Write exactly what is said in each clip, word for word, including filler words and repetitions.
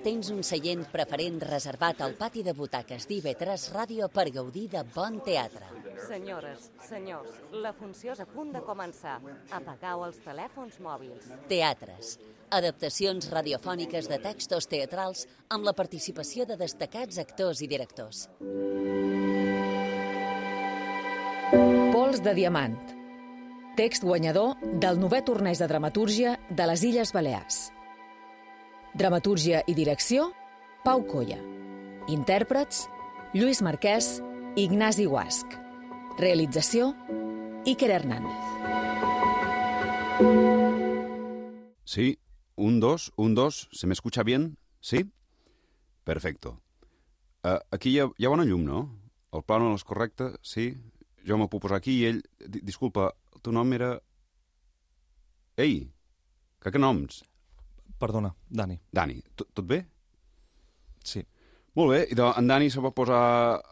tens un seient preferent reservat al pati de butaques d'I V tres Ràdio per gaudir de bon teatre. Senyores, senyors, la funció és a punt de començar. Apagueu els telèfons mòbils. Teatres. Adaptacions radiofòniques de textos teatrals amb la participació de destacats actors i directors. Pols de diamant. Text guanyador del novè torneig de dramatúrgia de les Illes Balears. Dramatúrgia i direcció, Pau Colla. Intèrprets, Lluís Marquès i Ignasi Guasc. Realització, Iker Hernández. Sí, un, dos, un, dos. ¿Se me escucha bien? ¿Sí? Perfecto. Uh, aquí hi ha, hi ha bona llum, no? El plànol és correcte? Sí? Jo m'ho puc posar aquí i ell... D Disculpa, el teu nom era... Ei, que que noms? Perdona, Dani. Dani, tot, tot bé? Sí. Molt bé, i en Dani se pot posar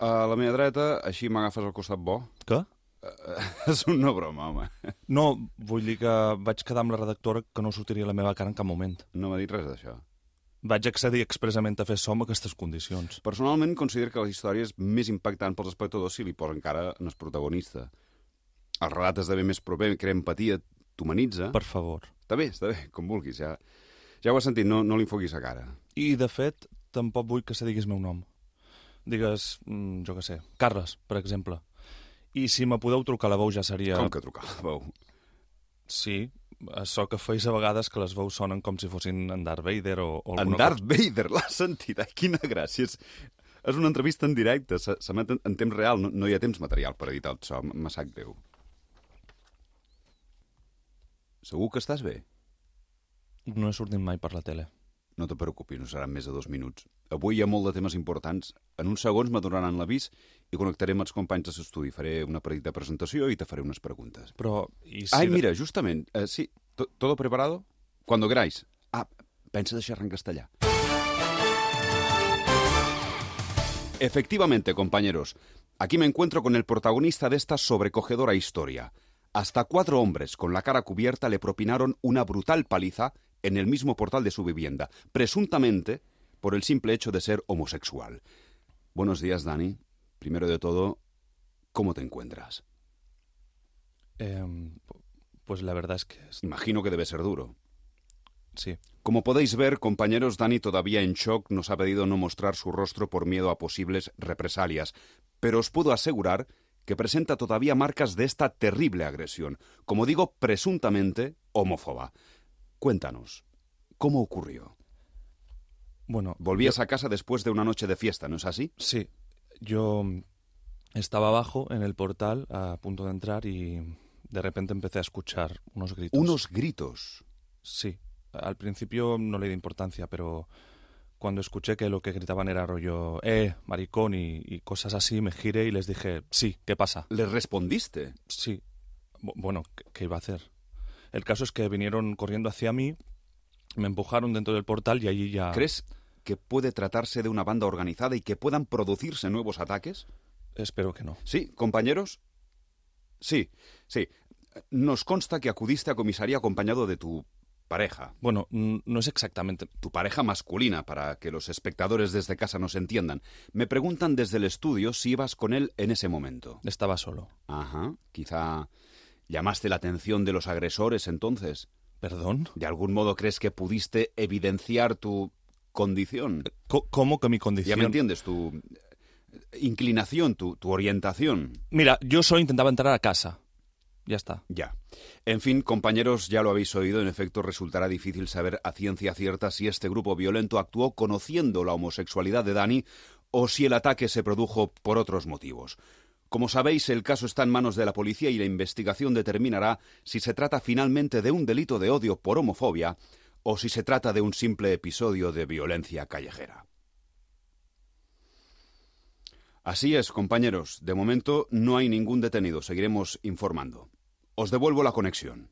a la meva dreta, així m'agafes al costat bo. Què? Uh, és una broma, home. No, vull dir que vaig quedar amb la redactora que no sortiria la meva cara en cap moment. No m'ha dit res d'això. Vaig accedir expressament a fer som a aquestes condicions. Personalment, considero que la història és més impactant pels espectadors si li posen cara en el protagonista. El relat esdevé més proper, crea empatia, t'humanitza... Per favor. Està bé, està bé, com vulguis, ja... Ja ho has sentit, no, no li enfoquis a cara. I, de fet, tampoc vull que se diguis meu nom. Digues, jo què sé, Carles, per exemple. I si me podeu trucar a la veu ja seria... Com que trucar a la veu? Sí, això que feis a vegades que les veus sonen com si fossin en Darth Vader o, o alguna cosa. En Darth cosa. Vader, l'has sentit? Ai, quina gràcia. És, és una entrevista en directe, s'emet en, en temps real, no, no hi ha temps material per editar el so, me sap greu. Segur que estàs bé? No he sortit mai per la tele. No te preocupis, no seran més de dos minuts. Avui hi ha molt de temes importants. En uns segons m'adonaran l'avís i connectaré amb els companys de l'estudi. Faré una petita presentació i te faré unes preguntes. Però... I si Ai, de... mira, justament, eh, sí, ¿todo preparado? Cuando queráis. Ah, pensa deixar en castellà. Efectivamente, compañeros, aquí me encuentro con el protagonista de esta sobrecogedora historia. Hasta cuatro hombres con la cara cubierta le propinaron una brutal paliza en el mismo portal de su vivienda, presuntamente por el simple hecho de ser homosexual. Buenos días, Dani. Primero de todo, ¿cómo te encuentras? Eh, pues la verdad es que... Imagino que debe ser duro. Sí. Como podéis ver, compañeros, Dani, todavía en shock, nos ha pedido no mostrar su rostro por miedo a posibles represalias, pero os puedo asegurar que presenta todavía marcas de esta terrible agresión, como digo, presuntamente homófoba. Cuéntanos, ¿cómo ocurrió? Bueno, volvías yo... a casa después de una noche de fiesta, ¿no es así? Sí, yo estaba abajo en el portal a punto de entrar y de repente empecé a escuchar unos gritos. ¿Unos gritos? Sí, al principio no le di importancia, pero cuando escuché que lo que gritaban era rollo, eh, maricón y, y cosas así, me giré y les dije, sí, ¿qué pasa? ¿Les respondiste? Sí. B- bueno, ¿qué, ¿qué iba a hacer? El caso es que vinieron corriendo hacia mí, me empujaron dentro del portal y allí ya... ¿Crees que puede tratarse de una banda organizada y que puedan producirse nuevos ataques? Espero que no. Sí, compañeros. Sí, sí. Nos consta que acudiste a comisaría acompañado de tu pareja. Bueno, no es exactamente... Tu pareja masculina, para que los espectadores desde casa nos entiendan. Me preguntan desde el estudio si ibas con él en ese momento. Estaba solo. Ajá, quizá llamaste la atención de los agresores entonces. ¿Perdón? ¿De algún modo crees que pudiste evidenciar tu condición? ¿Cómo que mi condición? Ya me entiendes, tu inclinación, tu, tu orientación. Mira, yo solo intentaba entrar a casa. Ya está. Ya. En fin, compañeros, ya lo habéis oído, en efecto resultará difícil saber a ciencia cierta si este grupo violento actuó conociendo la homosexualidad de Dani o si el ataque se produjo por otros motivos. Como sabéis, el caso está en manos de la policía y la investigación determinará si se trata finalmente de un delito de odio por homofobia o si se trata de un simple episodio de violencia callejera. Así es, compañeros. De momento no hay ningún detenido. Seguiremos informando. Os devuelvo la conexión.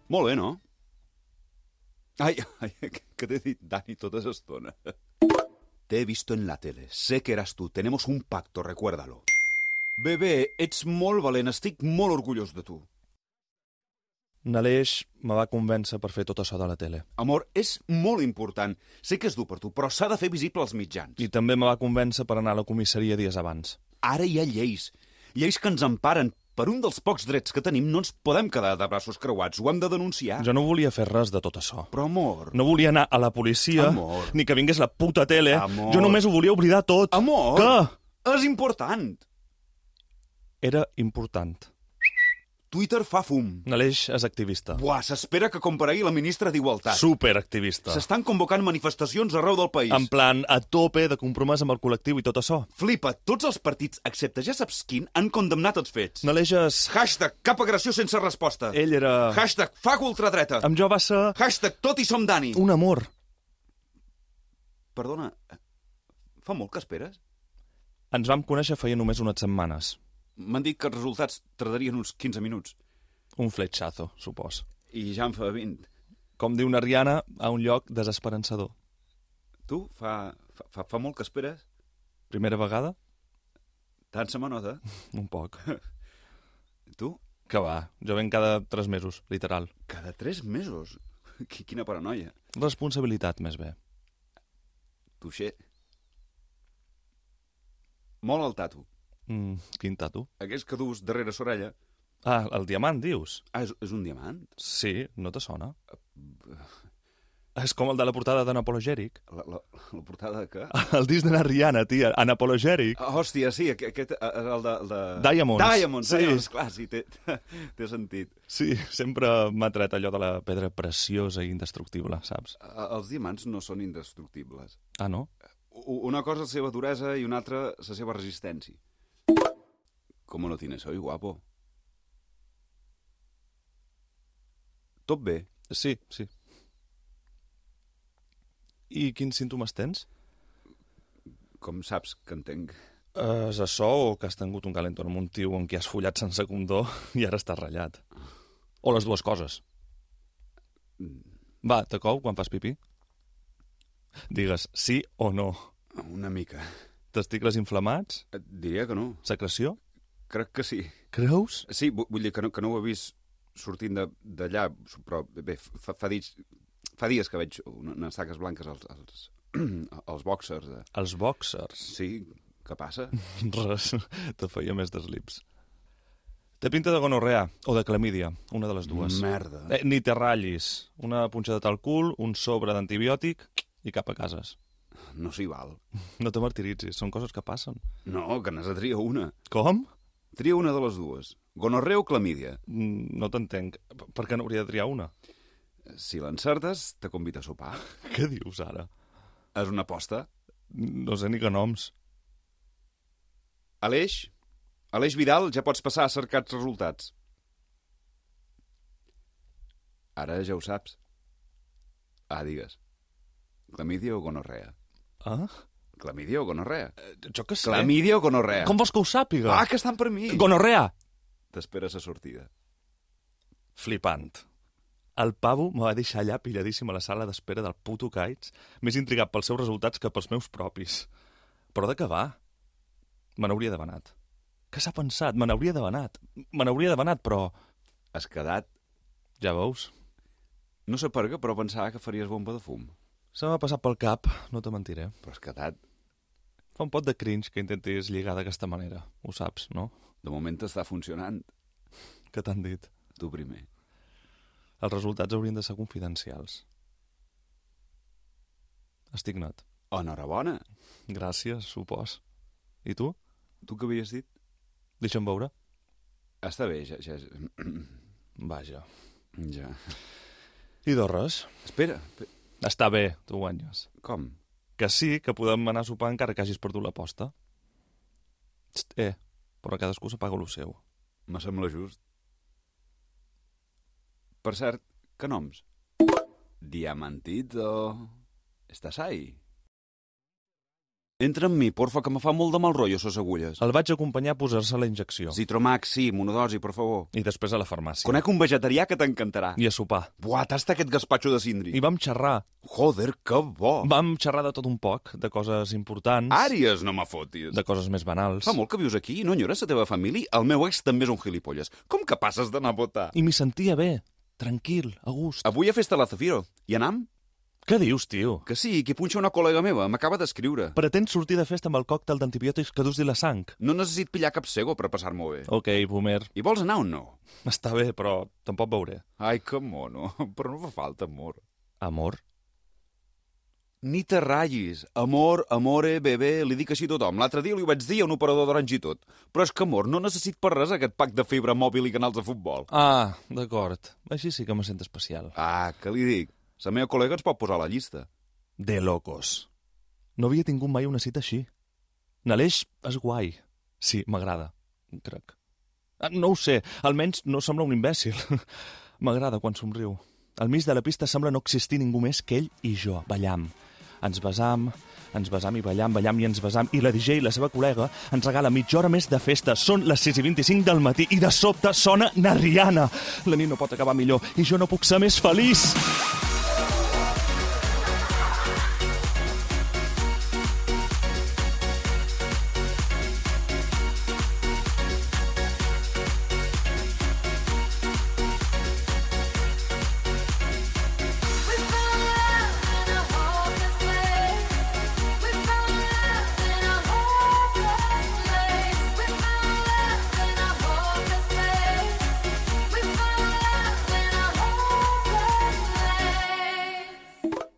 Molt bé, no? Ai, ai, què t'he dit, Dani, tota l'estona? Te he visto en la tele. Sé que eras tú. Tenemos un pacto, recuérdalo. Bebé, ets molt valent. Estic molt orgullós de tu. N'Aleix me va convèncer per fer tot això de la tele. Amor, és molt important. Sé que és dur per tu, però s'ha de fer visible als mitjans. I també me va convèncer per anar a la comissaria dies abans. Ara hi ha lleis. Lleis que ens emparen. Per un dels pocs drets que tenim no ens podem quedar de braços creuats. Ho hem de denunciar. Jo no volia fer res de tot això. Però, amor... No volia anar a la policia, Amor. ni que vingués la puta tele. Amor. Jo només ho volia oblidar tot. Amor! Què? És important. Era important. Twitter fa fum. N'Aleix és activista. Buah, s'espera que comparegui la ministra d'Igualtat. Superactivista. S'estan convocant manifestacions arreu del país. En plan, a tope de compromès amb el col·lectiu i tot això. Flipa, tots els partits, excepte ja saps quin, han condemnat els fets. N'Aleix és... Hashtag cap agressió sense resposta. Ell era... Hashtag fac ultradreta. Amb jo va ser... Hashtag tot i som Dani. Un amor. Perdona, fa molt que esperes? Ens vam conèixer feia només unes setmanes. M'han dit que els resultats tardarien uns quinze minuts. Un fletxazo, supos. I ja en fa vint. Com diu una Rihanna, a un lloc desesperançador. Tu, fa, fa, fa molt que esperes? Primera vegada? Tant se m'anota. Un poc. Tu? Que va, jo venc cada tres mesos, literal. Cada tres mesos? Quina paranoia. Responsabilitat, més bé. Tuixer. Molt el tatu. Mm, quin tatu? Aquells que dus darrere l'orella. Ah, el diamant, dius? Ah, és, és un diamant? Sí, no te sona? És com el de la portada d'Anapologèric. La, la, la portada de què? El disc de la Rihanna, tia, Anapologèric. Ah, hòstia, sí, aquest és el de... El de... Diamonds. Diamonds, Sí. Diamonds, clar, sí, té, té sentit. Sí, sempre m'ha tret allò de la pedra preciosa i indestructible, saps? Eh, Els diamants no són indestructibles. Ah, no? U- Una cosa és la seva duresa i una altra la seva resistència. ¿Cómo lo tienes hoy, guapo? Tot bé? Sí, sí. I quins símptomes tens? Com saps que entenc? Uh, és això o que has tingut un calentón amb un tio amb qui has follat sense condó i ara estàs ratllat? O les dues coses? Va, te cou quan fas pipí? Digues sí o no. Una mica. Testicles inflamats? Et diria que no. Secreció? Crec que sí. Creus? Sí, vu- vull dir que no, que no ho he vist sortint de- d'allà, però bé, fa, fa, dies, fa dies que veig una- unes taques blanques als, als, als boxers. De... Els boxers? Sí, què passa? Res, te feia més deslips. Té pinta de gonorrea o de clamídia, una de les dues. Merda. Eh, ni te ratllis. Una punxada al cul, un sobre d'antibiòtic i cap a cases. No s'hi val. No te martiritzis, són coses que passen. No, que n'has de triar una. Com? Tria una de les dues. Gonorrea o clamídia. Mm, No t'entenc. P- Per què n'hauria de triar una? Si l'encertes, te convida a sopar. Què dius ara? És una aposta. No sé ni que noms. Aleix, Aleix Vidal, ja pots passar a cercar els resultats. Ara ja ho saps. Ah, digues. Clamídia o gonorrea? Ah? Clamídia o gonorrea? Jo què sé. Clamídia o gonorrea? Com vols que ho sàpiga? Ah, que estan per mi! Gonorrea! T'esperes a sortida. Flipant. El pavo me va deixar allà pilladíssim a la sala d'espera del puto Kites, més intrigat pels seus resultats que pels meus propis. Però de què va? Me n'hauria d'haver anat. Què s'ha pensat? Me n'hauria d'haver anat. Me n'hauria d'haver anat, però... Has quedat... Ja veus? No sé per què, però pensava que faries bomba de fum. Se m'ha passat pel cap, no te mentiré. Però has quedat... Fa un pot de cringe que intentis lligar d'aquesta manera. Ho saps, no? De moment està funcionant. Què t'han dit? Tu primer. Els resultats haurien de ser confidencials. Estic net. Enhorabona. Gràcies, supos. I tu? Tu què havies dit? Deixa'm veure. Està bé, ja... ja... Vaja. ja. I de res. Espera. espera. Està bé, tu guanyes. Com? Que sí, que podem anar a sopar encara que hagis perdut l'aposta. Txt, eh, però cadascú s'apaga lo seu. Me sembla just. Per cert, que noms? Diamantito. Estàs ahí? Entra amb mi, porfa, que me fa molt de mal rotllo ses agulles. El vaig acompanyar a posar-se la injecció. Zitromax, sí, monodosi, per favor. I després a la farmàcia. Conec un vegetarià que t'encantarà. I a sopar. Buah, tasta aquest gaspatxo de cindri. I vam xerrar. Joder, que bo. Vam xerrar de tot un poc, de coses importants, Àries, no me fotis. de coses més banals. Fa molt que vius aquí i no enyores la teva família? El meu ex també és un gilipolles. Com que passes d'anar a votar? I m'hi sentia bé. tranquil, a gust. Avui a festa a la Zafiro. Hi anam? Què dius, tio? Que sí, que punxa una col·lega meva. M'acaba d'escriure. Pretens sortir de festa amb el còctel d'antibiòtics que dus de la sang? No necessit pillar cap cego per passar-m'ho bé. Ok, boomer. I vols anar o no? Està bé, però tampoc veuré. Ai, que mono. Però no fa falta, amor. Amor? Ni te ratllis. Amor, amore, bebé, li dic així a tothom. L'altre dia li ho vaig dir a un operador d'Orange i tot. Però és que, amor, no necessit per res aquest pack de fibra mòbil i canals de futbol. Ah, d'acord. Així sí que me sento especial. Ah, què li dic? La meva col·lega ens pot posar a la llista. De locos. No havia tingut mai una cita així. N'Aleix és guai. Sí, m'agrada, crec. Ah, no ho sé, almenys no sembla un imbècil. M'agrada quan somriu. Al mig de la pista sembla no existir ningú més que ell i jo, ballam. Ens besam, ens besam i ballam, ballam i ens besam, i la D J i la seva col·lega ens regala mitja hora més de festa. Són les sis i vint-i-cinc del matí i de sobte sona na Rihanna. La nit no pot acabar millor i jo no puc ser més feliç.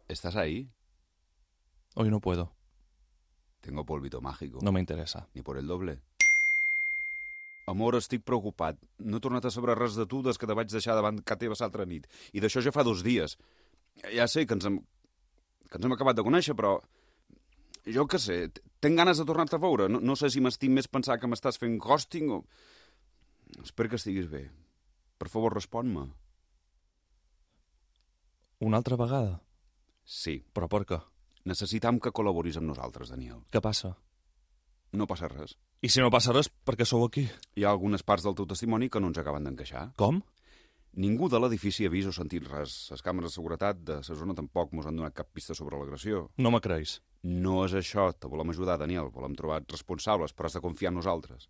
¿Estás ahí? Hoy no puedo. Tengo polvito mágico. No me interesa. Ni por el doble. Amor, estic preocupat. No he tornat a saber res de tu des que te vaig deixar davant ca teva l'altra nit. I d'això ja fa dos dies. Ja sé que ens hem, que ens hem acabat de conèixer, però... Jo què sé, tenc ganes de tornar-te a veure. No, no sé si m'estim més pensar que m'estàs fent ghosting o... Espero que estiguis bé. Per favor, respon-me. Una altra vegada? Sí. Però per què? Necessitam que col·laboris amb nosaltres, Daniel. Què passa? No passa res. I si no passa res, per què sou aquí? Hi ha algunes parts del teu testimoni que no ens acaben d'encaixar. Com? Ningú de l'edifici ha vist o sentit res. Les càmeres de seguretat de la zona tampoc mos han donat cap pista sobre l'agressió. No me creus. No és això. Te volem ajudar, Daniel. Volem trobar responsables, però has de confiar en nosaltres.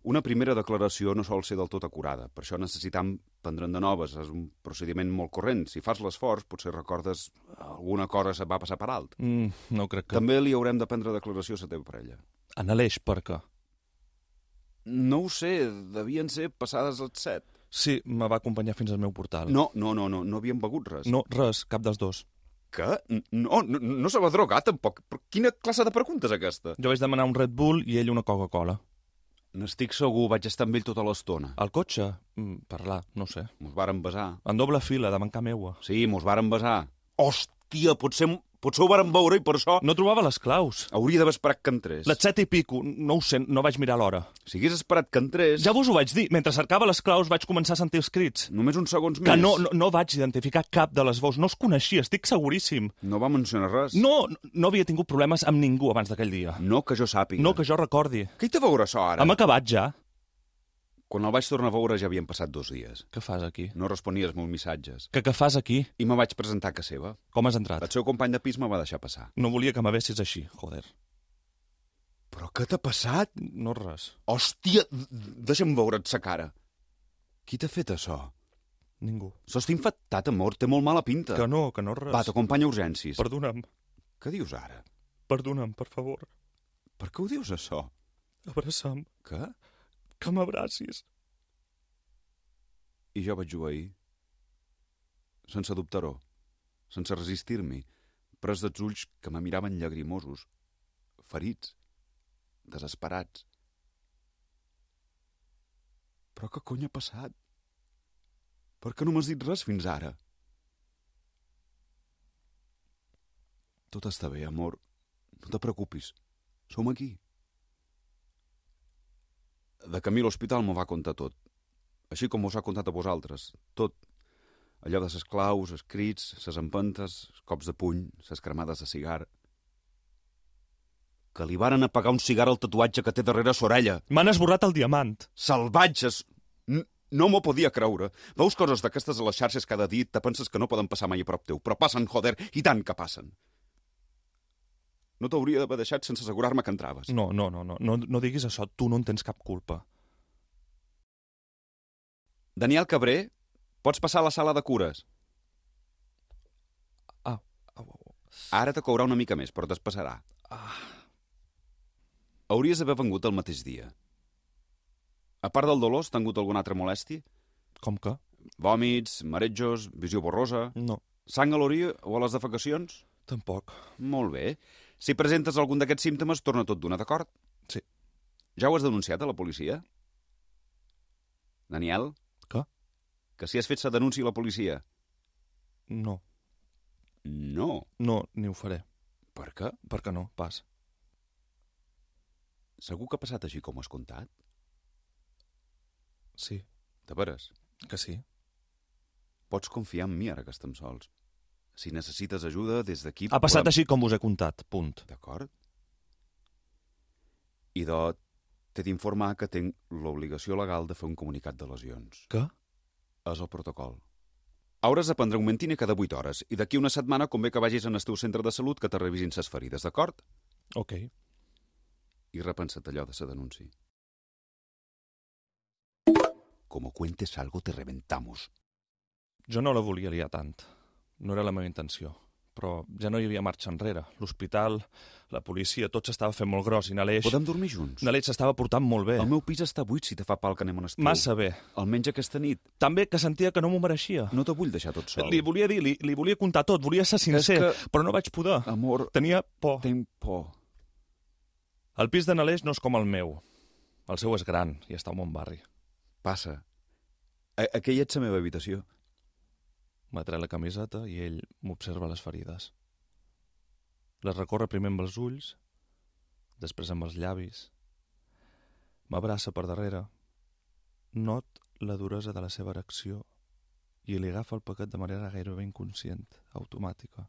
Una primera declaració no sol ser del tot acurada. Per això necessitam prendre'n de noves. És un procediment molt corrent. Si fas l'esforç, potser recordes alguna cosa se va passar per alt. Mm, no crec que... També li haurem de prendre declaració a la teva parella. En Aleix, per què? No ho sé. Devien ser passades les set. Sí, me va acompanyar fins al meu portal. No, no, no, no, no havíem begut res. No, res, cap dels dos. Què? No, no, no se va drogar, tampoc. Però quina classe de pregunta és aquesta? Jo vaig demanar un Red Bull i ell una Coca-Cola. N'estic segur, vaig estar amb ell tota l'estona. Al cotxe? Mm, parlar, no sé. Mos vàrem besar. En doble fila, davant ca meua. Sí, mos vàrem besar. Hòstia, potser, potser ho vàrem veure i per això... No trobava les claus. Hauria d'haver esperat que entrés. Les set i pico, no ho sé, no vaig mirar l'hora. Si hagués esperat que entrés... Ja vos ho vaig dir, mentre cercava les claus vaig començar a sentir els crits. Només uns segons Que més. no, no, no vaig identificar cap de les veus, no els coneixia, estic seguríssim. No va mencionar res. No, no havia tingut problemes amb ningú abans d'aquell dia. No que jo sàpiga. No que jo recordi. Què hi té a veure això ara? Hem acabat ja. Quan el vaig tornar a veure ja havien passat dos dies. Què fas aquí? No responia els meus missatges. Que què fas aquí? I me vaig presentar a casa seva. Com has entrat? El seu company de pis me va deixar passar. No volia que m'avessis així, joder. Però què t'ha passat? No res. Hòstia, deixa'm veure't sa cara. Qui t'ha fet això? Ningú. Sos infectat, amor, té molt mala pinta. Que no, que no res. Va, t'acompanya a urgències. Perdona'm. Què dius ara? Perdona'm, per favor. Per què ho dius, això? Abraça'm. Què? Que m'abracis. I jo vaig obeir. Sense dubtar-ho. Sense resistir-m'hi. Pres dels ulls que me miraven llagrimosos. Ferits. Desesperats. Però què cony ha passat? Per què no m'has dit res fins ara? Tot està bé, amor. No te preocupis. Som aquí. De camí a l'hospital m'ho va contar tot. Així com us ha contat a vosaltres. Tot. Allò de ses claus, els crits, ses empentes, els cops de puny, ses cremades de cigar. Que li varen apagar un cigar al tatuatge que té darrere s'orella. M'han esborrat el diamant. Salvatges! N no m'ho podia creure. Veus coses d'aquestes a les xarxes cada dia i te penses que no poden passar mai a prop teu. Però passen, joder, i tant que passen. No t'hauria d'haver deixat sense assegurar-me que entraves. No, no, no, no, no, no diguis això. Tu no en tens cap culpa. Daniel Cabré, pots passar a la sala de cures? Ah, au, au. Ara te courà una mica més, però t'espassarà. Ah. Hauries d'haver vengut el mateix dia. A part del dolor, has tingut alguna altra molèstia? Com que? Vòmits, marejos, visió borrosa... No, Sang a l'orí o a les defecacions? tampoc. Molt bé. Si presentes algun d'aquests símptomes, torna tot d'una, d'acord? Sí. Ja ho has denunciat a la policia? Daniel? Què? Que si has fet sa denúncia a la policia? No, No. no, ni ho faré. Per què? Per què no? Pas. Segur que ha passat així com ho has contat? Sí, De veres? que sí. Pots confiar en mi ara que estem sols. Si necessites ajuda, des d'aquí... Ha passat podem- així com us he contat, punt. D'acord? Idò, t'he d'informar que tinc l'obligació legal de fer un comunicat de lesions. Què? És el protocol. Hauràs de prendre un mentine cada vuit hores i d'aquí una setmana convé que vagis en el teu centre de salut que te revisin ses ferides, d'acord? Ok. I repensa't allò de sa denúncia. Como cuentes algo te reventamos. Jo no la volia liar tant. No era la meva intenció. Però ja no hi havia marxa enrere. L'hospital, la policia, tot s'estava fent molt gros i Naleix... Podem dormir junts? Naleix s'estava portant molt bé. El meu pis està buit si te fa pal que anem on esteu. Massa bé. Almenys aquesta nit. També que sentia que no m'ho mereixia. No te vull deixar tot sol. Li volia dir, li, li volia contar tot, volia ser sincer, que- però no vaig poder. Amor, Tenia por. tinc por. El pis de Naleix no és com el meu. El seu és gran i està a un bon barri. Passa. A aquella ets la meva habitació. M'atreu la camiseta i ell m'observa les ferides. Les recorre primer amb els ulls, després amb els llavis. M'abraça per darrere. Not la duresa de la seva erecció i li agafa el paquet de manera gairebé inconscient, automàtica.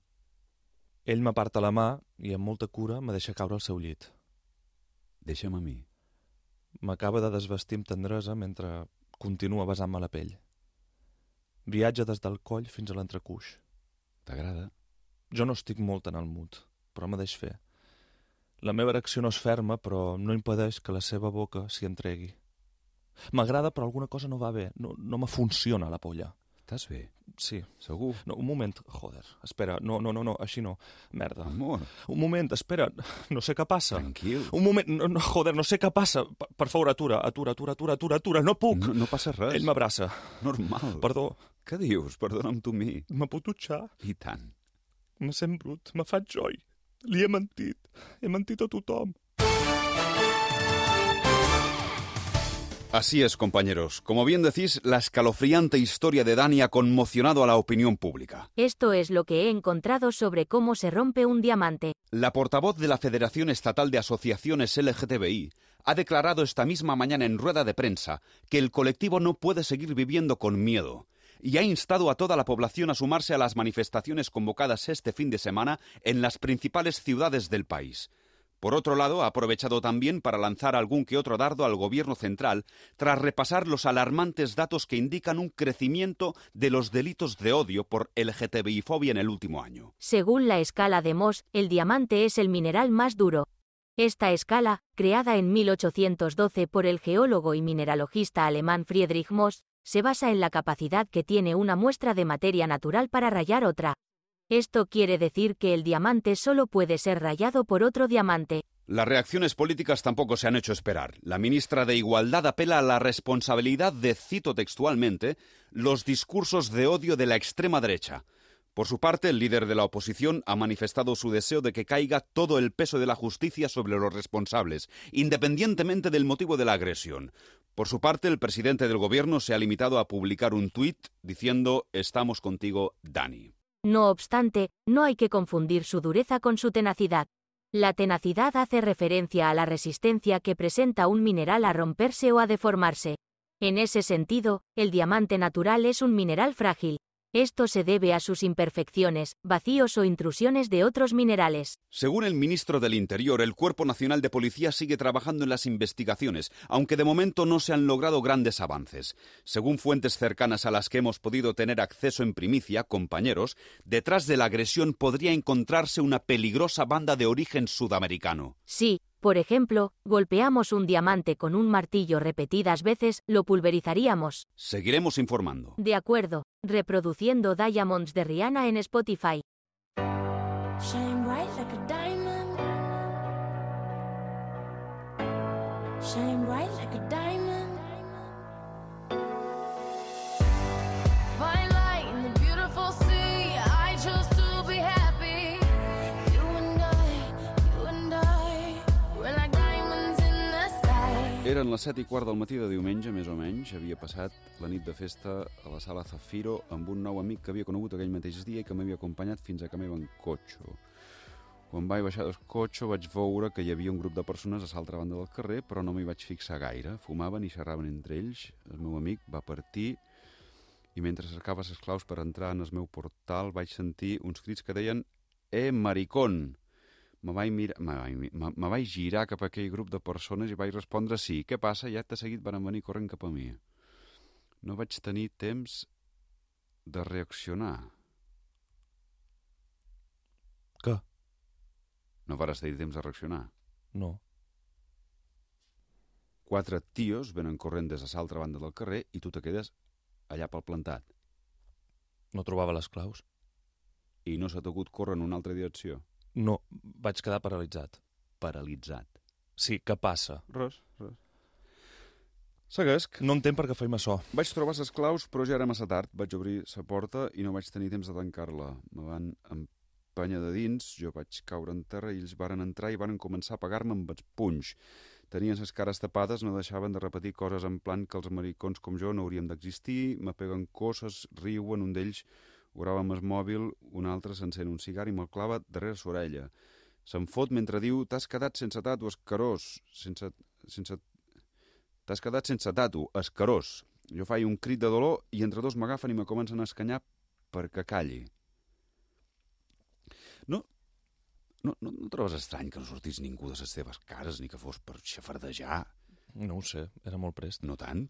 Ell m'aparta la mà i amb molta cura me deixa caure al seu llit. Deixa'm a mi. M'acaba de desvestir amb tendresa mentre continua besant-me la pell. Viatja des del coll fins a l'entrecuix. T'agrada? Jo no estic molt en el mood, però me deix fer. La meva erecció no és ferma, però no impedeix que la seva boca s'hi entregui. M'agrada, però alguna cosa no va bé. No, no me funciona la polla. Estàs bé? Sí. Segur? No, un moment, joder, espera, no, no, no, no, així no, merda. Amor, Un moment, espera, no sé què passa. tranquil. Un moment, no, no, joder, no sé què passa. Per, per favor, atura, atura, atura, atura, atura, atura, no puc. No, no passa res. Ell m'abraça. Normal. Perdó, Què dius? Perdona'm tu mi. me puc dutxar? I tant. Me sent brut, me faig joy. Li he mentit. He mentit a tothom. Así es, compañeros. Como bien decís, la escalofriante historia de Dani ha conmocionado a la opinión pública. Esto es lo que he encontrado sobre cómo se rompe un diamante. La portavoz de la Federación Estatal de Asociaciones L G T B I ha declarado esta misma mañana en rueda de prensa que el colectivo no puede seguir viviendo con miedo y ha instado a toda la población a sumarse a las manifestaciones convocadas este fin de semana en las principales ciudades del país. Por otro lado, ha aprovechado también para lanzar algún que otro dardo al gobierno central tras repasar los alarmantes datos que indican un crecimiento de los delitos de odio por L G T B I-fobia en el último año. Según la escala de Mohs, el diamante es el mineral más duro. Esta escala, creada en mil ochocientos doce por el geólogo y mineralogista alemán Friedrich Mohs, se basa en la capacidad que tiene una muestra de materia natural para rayar otra. Esto quiere decir que el diamante solo puede ser rayado por otro diamante. Las reacciones políticas tampoco se han hecho esperar. La ministra de Igualdad apela a la responsabilidad de, cito textualmente, los discursos de odio de la extrema derecha. Por su parte, el líder de la oposición ha manifestado su deseo de que caiga todo el peso de la justicia sobre los responsables, independientemente del motivo de la agresión. Por su parte, el presidente del gobierno se ha limitado a publicar un tuit diciendo «Estamos contigo, Dani». No obstante, no hay que confundir su dureza con su tenacidad. La tenacidad hace referencia a la resistencia que presenta un mineral a romperse o a deformarse. En ese sentido, el diamante natural es un mineral frágil. Esto se debe a sus imperfecciones, vacíos o intrusiones de otros minerales. Según el ministro del Interior, el Cuerpo Nacional de Policía sigue trabajando en las investigaciones, aunque de momento no se han logrado grandes avances. Según fuentes cercanas a las que hemos podido tener acceso en primicia, compañeros, detrás de la agresión podría encontrarse una peligrosa banda de origen sudamericano. Sí, Por ejemplo, golpeamos un diamante con un martillo repetidas veces, lo pulverizaríamos. Seguiremos informando. De acuerdo, reproduciendo Diamonds de Rihanna en Spotify. Shine bright like a diamond. Shine bright like a diamond. Fine light in the beautiful sea. I chose to be happy. You and I, you and I, we're like diamonds in the sky. Eren les set i quart del matí de diumenge, més o menys. Havia passat la nit de festa a la sala Zafiro amb un nou amic que havia conegut aquell mateix dia i que m'havia acompanyat fins a casa meva en cotxe. Quan vaig baixar del cotxe vaig veure que hi havia un grup de persones a l'altra banda del carrer, però no m'hi vaig fixar gaire. Fumaven i xerraven entre ells. El meu amic va partir i mentre cercava les claus per entrar en el meu portal vaig sentir uns crits que deien «Eh, maricón!». Me vaig, mirar, me, vaig, me, me vaig girar cap a aquell grup de persones i vaig respondre «Sí, què passa?» I acte seguit van venir corrent cap a mi. No vaig tenir temps de reaccionar. Què? No varàs tenir temps de reaccionar? No. Quatre tios venen corrent des de l'altra banda del carrer i tu te quedes allà pel plantat. No trobava les claus. I no s'ha t'acut córrer en una altra direcció? No, vaig quedar paralitzat. Paralitzat. Sí, què passa? Res, res. Seguesc. No entenc per què feim açò. Vaig trobar les claus, però ja era massa tard. Vaig obrir la porta i no vaig tenir temps de tancar-la. Me van empènyer de dins, jo vaig caure en terra i ells varen entrar i varen començar a pegar-me amb els punys. Tenien les cares tapades, no deixaven de repetir coses en plan que els maricons com jo no hauríem d'existir, me peguen coses, riuen, un d'ells ho grava amb el mòbil, un altre s'encén un cigar i me'l clava darrere l'orella. Se'n fot mentre diu «T'has quedat sense tatu, escarós», sense... sense... «T'has quedat sense tatu, escarós». Jo faig un crit de dolor i entre dos m'agafen i me comencen a escanyar perquè calli. No, no, no, no trobes estrany que no sortís ningú de les teves cases ni que fos per xafardejar? No ho sé, era molt prest. No tant?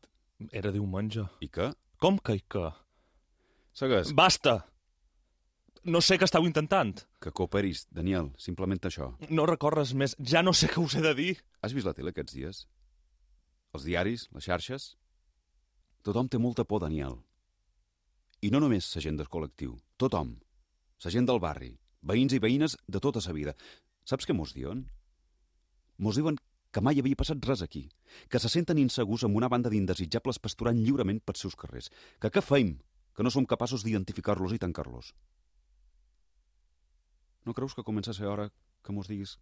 Era diumenge. I què? Com que i què? Segueix. Basta! No sé què estàu intentant. Que cooperis, Daniel, simplement això. No recorres més, ja no sé què us he de dir. Has vist la tele aquests dies? Els diaris, les xarxes? Tothom té molta por, Daniel. I no només la gent del col·lectiu, tothom. La gent del barri, veïns i veïnes de tota la vida. Saps què mos diuen? Mos diuen que mai havia passat res aquí, que se senten insegurs amb una banda d'indesitjables pasturant lliurement pels seus carrers, que què feim, que no som capaços d'identificar-los i tancar-los. No creus que comença a ser hora que mos diguis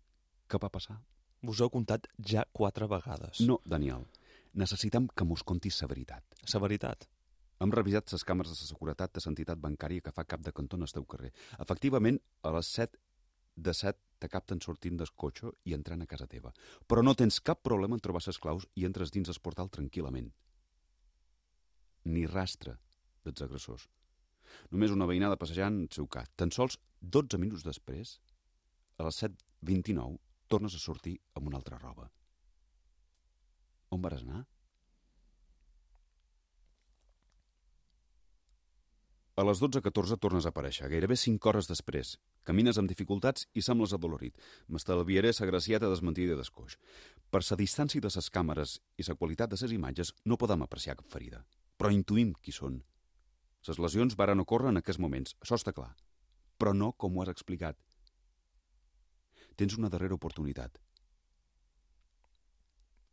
què va passar? Vos heu contat ja quatre vegades. No, Daniel. Necessitem que mos contis la veritat. La veritat? Hem revisat les càmeres de seguretat de l'entitat bancària que fa cap de cantó en el teu carrer. Efectivament, a les set de set te capten sortint del cotxe i entrant a casa teva. Però no tens cap problema en trobar les claus i entres dins el portal tranquil·lament. Ni rastre dels agressors. Només una veïnada passejant el seu cat. Tan sols dotze minuts després, a les set vint-i-nou, tornes a sortir amb una altra roba. On vas anar? A les dotze catorze tornes a aparèixer, gairebé cinc hores després. Camines amb dificultats i sembles adolorit. M'estalviaré la gracieta desmentida d'escoix. Per la distància de les càmeres i la qualitat de les imatges no podem apreciar cap ferida. Però intuïm qui són. Les lesions varen ocórrer en aquests moments, això està clar. Però no com ho has explicat. Tens una darrera oportunitat.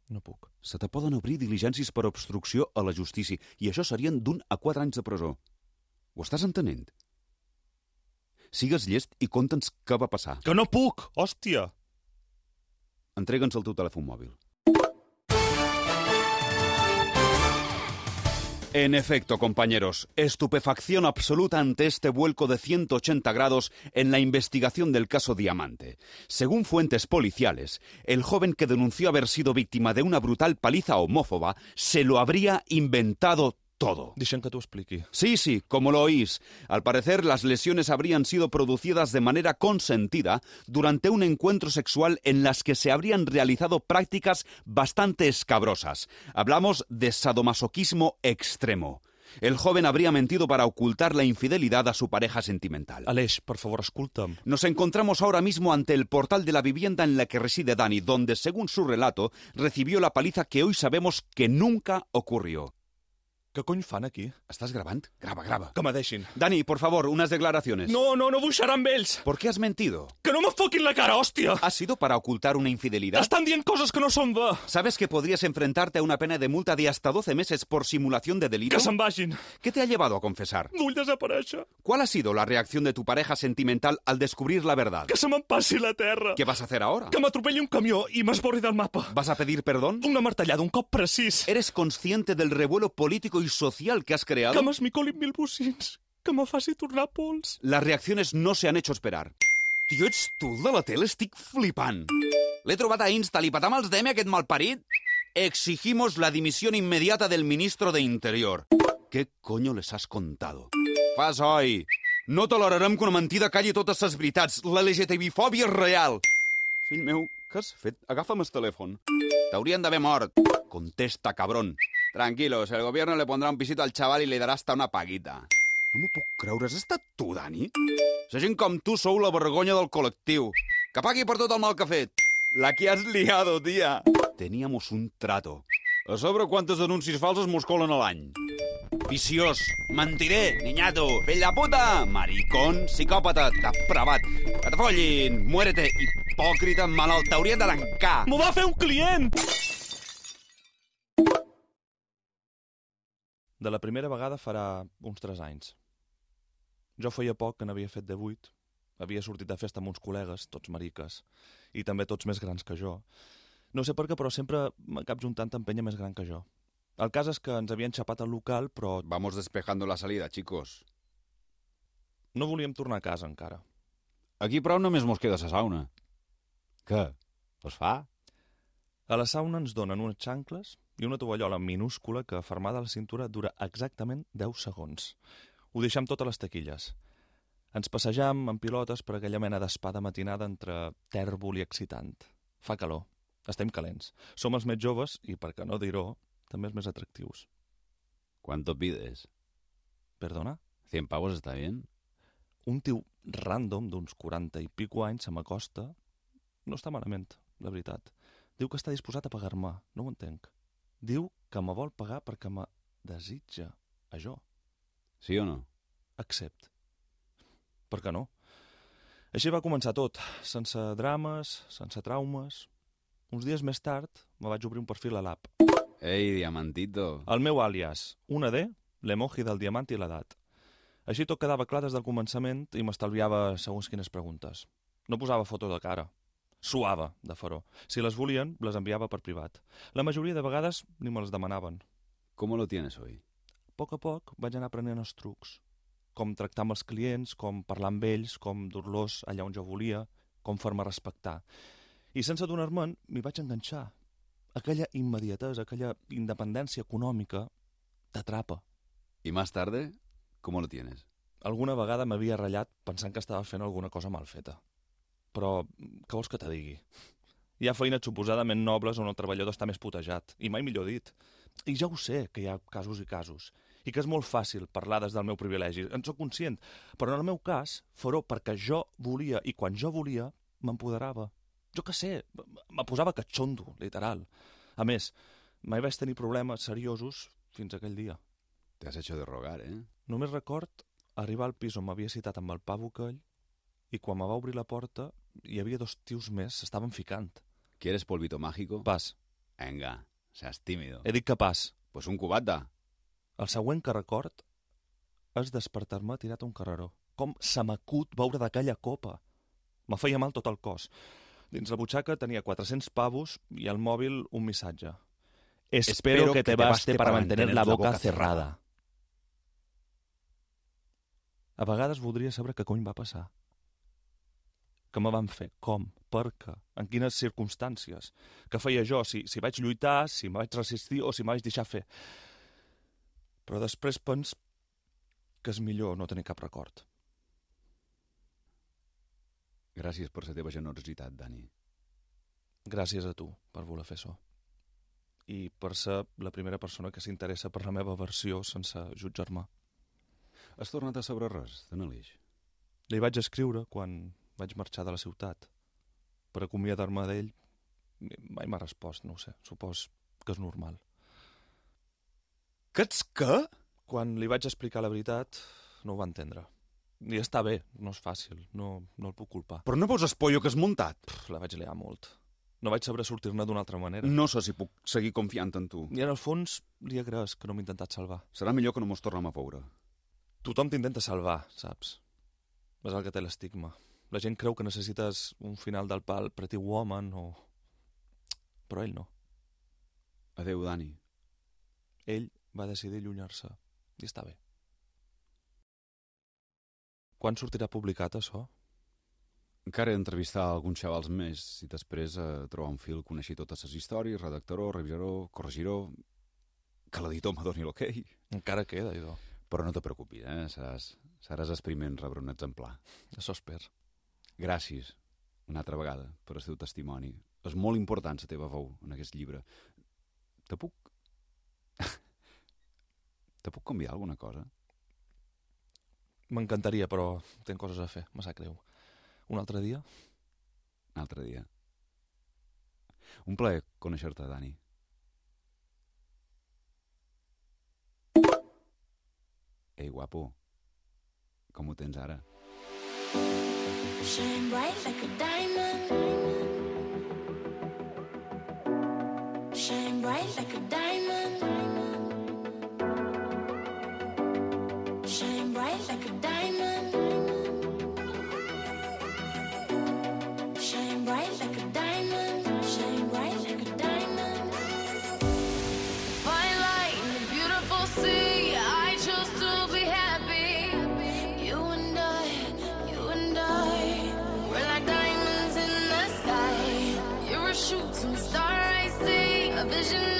No puc. Se te poden obrir diligències per obstrucció a la justícia i això serien d'un a quatre anys de presó. Ho estàs entenent? Sigues llest i conta'ns què va passar. Que no puc, hòstia! Entrega'ns el teu telèfon mòbil. En efecto, compañeros, estupefacción absoluta ante este vuelco de ciento ochenta grados en la investigación del caso Diamante. Según fuentes policiales, el joven que denunció haber sido víctima de una brutal paliza homófoba se lo habría inventado todo. Deixa'm que t'ho expliqui. Sí, sí, como lo oís. Al parecer, las lesiones habrían sido producidas de manera consentida durante un encuentro sexual en las que se habrían realizado prácticas bastante escabrosas. Hablamos de sadomasoquismo extremo. El joven habría mentido para ocultar la infidelidad a su pareja sentimental. Aleix, per favor, escolta'm. Nos encontramos ahora mismo ante el portal de la vivienda en la que reside Dani, donde, según su relato, recibió la paliza que hoy sabemos que nunca ocurrió. Què cony fan aquí? ¿Estás grabando? Graba, graba. Que me deixin. Dani, por favor, unas declaraciones. No, no, no vull xerrar amb ells. ¿Por qué has mentido? Que no me foquin la cara, hòstia. ¿Ha sido para ocultar una infidelidad? Estan dient coses que no són de... ¿Sabes que podrías enfrentarte a una pena de multa de hasta doce meses por simulación de delito? Que se'n vagin. ¿Qué te ha llevado a confesar? Vull desaparèixer. ¿Cuál ha sido la reacción de tu pareja sentimental al descubrir la verdad? Que se me'n passi la terra. ¿Qué vas a hacer ahora? Que m'atropelli un camió i m'esborri del mapa. ¿Vas a pedir perdón? Una martellada, un cop precís. ¿Eres consciente del revuelo político y social que has creado? Que m'esmicolin mil bocins. Que me faci tornar pols. Las reacciones no se han hecho esperar. Tio, ets tu el de la tele? Estic flipant. L'he trobat a Insta, li patam els D M aquest malparit? Exigimos la dimisión inmediata del ministro de Interior. ¿Qué coño les has contado? Fas oi. No tolerarem que una mentida calli totes les veritats. La L G T B-fòbia és real. Fill meu, què has fet? Agafa'm el telèfon. T'haurien d'haver mort. Contesta, cabrón. Tranquilos, el gobierno le pondrá un pisito al chaval y le dará hasta una paguita. No m'ho puc creure, has estat tu, Dani? La gent com tu sou la vergonya del col·lectiu. Que pagui per tot el mal que ha fet. La que has liado, tía. Teníamos un trato. A sobre, quantes denúncies falses mos colen a l'any? Viciós, mentiré, niñato, fill de puta, maricón, psicòpata, depravat, que te follin, muérete, hipòcrita, malalt, t'haurien de tancar. M'ho va fer un client! De la primera vegada farà uns tres anys. Jo feia poc que n'havia fet de vuit. Havia sortit de festa amb uns col·legues, tots mariques, i també tots més grans que jo. No sé per què, però sempre m'acab juntant amb penya més gran que jo. El cas és que ens havien xapat al local, però... Vamos despejando la salida, chicos. No volíem tornar a casa encara. Aquí prou només mos queda la sauna. Què? Es fa? A la sauna ens donen unes xancles i una tovallola minúscula que, fermada a la cintura, dura exactament deu segons. Ho deixam totes les taquilles. Ens passejam en pilotes per aquella mena d'espada matinada entre tèrbol i excitant. Fa calor. Estem calents. Som els més joves i, per què no dir-ho, també els més atractius. ¿Cuánto pides? Perdona? ¿Cien pavos está bien? Un tio random d'uns quaranta i pico anys se m'acosta. No està malament, de veritat. Diu que està disposat a pagar-me. No ho entenc. Diu que me vol pagar perquè me desitja a jo. Sí o no? Accept. Per què no? Així va començar tot, sense drames, sense traumes. Uns dies més tard me vaig obrir un perfil a l'app. Ei, diamantito. El meu àlies, una D, l'emoji del diamant i l'edat. Així tot quedava clar des del començament i m'estalviava segons quines preguntes. No posava foto de cara. Suava de faró. Si les volien, les enviava per privat. La majoria de vegades ni me les demanaven. ¿Cómo lo tienes hoy? A poc a poc vaig anar aprenent els trucs. Com tractar amb els clients, com parlar amb ells, com dur-los allà on jo volia, com fer-me respectar. I sense donar-me'n, m'hi vaig enganxar. Aquella immediatesa, aquella independència econòmica, t'atrapa. ¿Y más tarde? ¿Cómo lo tienes? Alguna vegada m'havia ratllat pensant que estava fent alguna cosa mal feta. Però què vols que te digui? Hi ha feines suposadament nobles on el treballador està més putejat, i mai millor dit. I ja ho sé, que hi ha casos i casos, i que és molt fàcil parlar des del meu privilegi, en sóc conscient, però en el meu cas, farò perquè jo volia, i quan jo volia, m'empoderava. Jo què sé, me posava catxondo, literal. A més, mai vaig tenir problemes seriosos fins aquell dia. Te has hecho de rogar, eh? Només record arribar al pis on m'havia citat amb el pavo aquell, i quan me va obrir la porta hi havia dos tios més, s'estaven ficant. ¿Quieres polvito mágico? Pas. Venga, seas tímido. He dit que pas. Pues un cubata. El següent que record és despertar-me tirat a un carreró. Com se m'acut veure d'aquella copa. Me feia mal tot el cos. Dins la butxaca tenia quatre-cents pavos i al mòbil un missatge. Espero, Espero que te baste para mantener la boca cerrada. A vegades voldria saber què cony va passar. Què me van fer? Com? Per què? En quines circumstàncies? Què feia jo? Si, si vaig lluitar, si me vaig resistir o si me vaig deixar fer. Però després pens que és millor no tenir cap record. Gràcies per la teva generositat, Dani. Gràcies a tu per voler fer això. i per ser la primera persona que s'interessa per la meva versió sense jutjar-me. Has tornat a saber res, de n'Alix? Li vaig escriure quan vaig marxar de la ciutat. Per acomiadar-me d'ell, mai m'ha respost, no ho sé, supos que és normal. Que ets què? Quan li vaig explicar la veritat, no ho va entendre. I està bé, no és fàcil, no, no el puc culpar. Però no veus el pollo que has muntat? Pff, la vaig liar molt. No vaig saber sortir-ne d'una altra manera. No sé si puc seguir confiant en tu. I en el fons li agraeix que no m'he intentat salvar. Serà millor que no mos tornem a veure. Tothom t'intenta salvar, saps? És el que té l'estigma. La gent creu que necessites un final del pal Pretty Woman o... Però ell no. Adéu, Dani. Ell va decidir allunyar-se. I està bé. Quan sortirà publicat, això? Encara he d'entrevistar alguns xavals més i després eh, trobar un fil, coneixer totes les històries, redactaró, revisaró, corregiró... Que l'editor me doni l'ok. Encara queda, idò. Però no te preocupis, eh? Seràs, seràs el primer en rebre un exemplar. Això espero. Gràcies, una altra vegada, per el teu testimoni. És molt important la teva veu en aquest llibre. Te puc... Te puc convidar a alguna cosa? M'encantaria, però tinc coses a fer, me sap greu. Un altre dia? Un altre dia. Un plaer conèixer-te, Dani. Ei, guapo, com ho tens ara? Shine bright like a diamond. Shine bright like a diamond. Shine bright like a diamond. Shine bright like a diamond. Shine bright like a diamond. Fine light in the beautiful sea. I chose to be happy. You and I, you and I, we're like diamonds in the sky. You're a shooting star I see, a vision